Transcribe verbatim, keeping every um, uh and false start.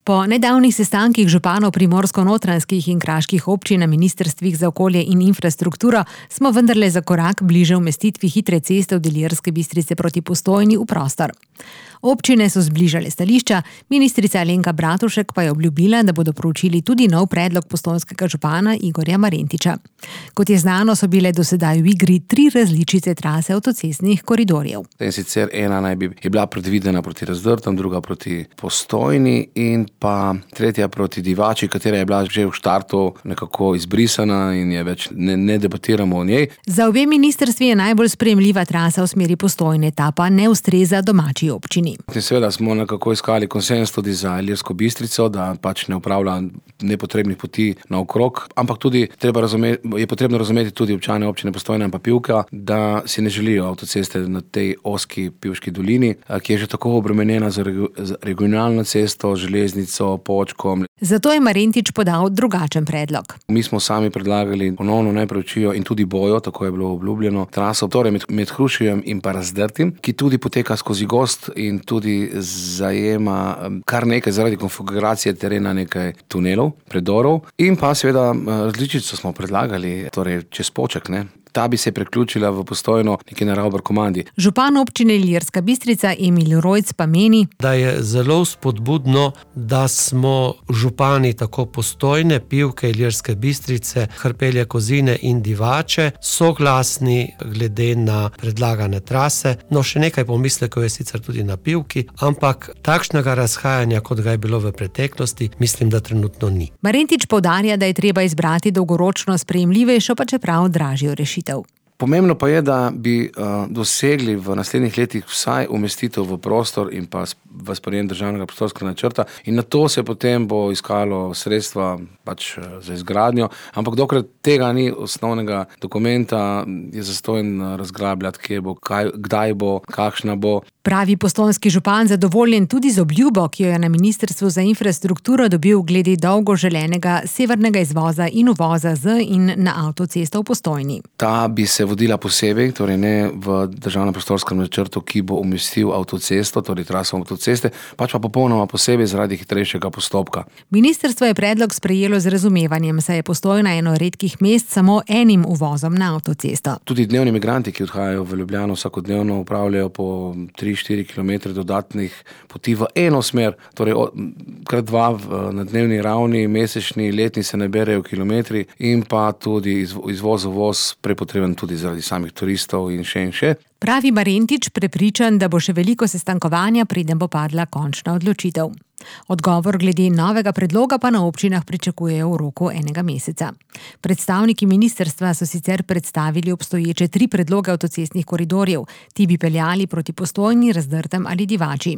Po nedavnih sestankih županov primorsko-notranjskih in kraških občin na ministrstvih za okolje in infrastrukturo smo vendarle za korak bliže umestitvi hitre ceste od Ilirske Bistrice proti Postojni v prostor. Občine so zbližale stališča, ministrica Alenka Bratušek pa je obljubila, da bodo proučili tudi nov predlog postojnskega župana Igorja Marentiča. Kot je znano, so bile do sedaj v igri tri različice trase avtocestnih koridorjev. In sicer ena naj bi je bila predvidena proti Razdrtam, druga proti Postojni in pa tretja proti Divači, katera je bila že v štartu nekako izbrisana in je več ne, ne debatiramo o njej. Za obe ministrstvi je najbolj sprejemljiva trasa v smeri Postojne, ta pa ne ustreza domači občini. In seveda smo nekako iskali konsenz tudi za Ilirsko Bistrico, da pač ne upravlja nepotrebnih poti naokrog, ampak tudi treba razumeti, je potrebno razumeti tudi občane občine Postojna in pa Pivka, da si ne želijo avtoceste na tej ozki Pivški dolini, ki je že tako obremenjena z regionalno cesto, železnico, Počkom. Zato je Marentič podal drugačen predlog. Mi smo sami predlagali ponovno naj preučijo in tudi bojo, tako je bilo obljubljeno, traso torej med, med Hrušijem in pa Razdrtim, ki tudi poteka skozi gozd in tudi zajema kar nekaj zaradi konfiguracije terena nekaj tunelov, predorov in pa seveda različico smo predlagali, torej čez Poček, ne. Ta bi se priključila v Postojno neki na Ravbar komandi. Župan občine Ilirska Bistrica Emil Rojc pa meni, da je zelo spodbudno, da smo župani tako Postojne, Pivke, Ilirske Bistrice, Hrpelje, Kozine in Divače soglasni glede na predlagane trase. No, še nekaj pomislekov je sicer tudi na Pivki, ampak takšnega razhajanja, kot ga je bilo v preteklosti, mislim, da trenutno ni. Marentič poudarja, da je treba izbrati dolgoročno sprejemljivejšo, pa čeprav dražjo rešitev. Pomembno pa je, da bi uh, dosegli v naslednjih letih vsaj umestitev v prostor in pa v sprejem državnega prostorskega načrta in na to se potem bo iskalo sredstva pač za izgradnjo, ampak dokler tega ni osnovnega dokumenta, je zastojen razglabljati, kje bo, kaj, kdaj bo, kakšna bo. Pravi postojnski župan zadovoljen tudi z obljubo, ki jo je na ministrstvu za infrastrukturo dobil glede dolgo želenega severnega izvoza in uvoza z in na avtocesto v Postojni. Ta bi se vodila posebej, torej ne v državnem prostorskem načrtu, ki bo umestil avtocesto, torej traso avtoceste, pač pa popolnoma posebej zaradi hitrejšega postopka. Ministrstvo je predlog sprejelo z razumevanjem, saj je Postojna eno redkih mest samo enim uvozom na avtocesto. Tudi dnevni migranti, ki odhajajo v Ljubljano vsakodnevno, upravljajo po tri štiri kilometre dodatnih poti v eno smer, torej krat dva na dnevni ravni, mesečni, letni se naberejo kilometri in pa tudi izvoz, uvoz prepotreben tudi zaradi samih turistov in še in še. Pravi Marentič, prepričan, da bo še veliko sestankovanja, preden bo padla končna odločitev. Odgovor glede novega predloga pa na občinah pričakujejo v roku enega meseca. Predstavniki ministrstva so sicer predstavili obstoječe tri predloge avtocestnih koridorjev. Ti bi peljali proti Postojni, Razdrtem ali Divači.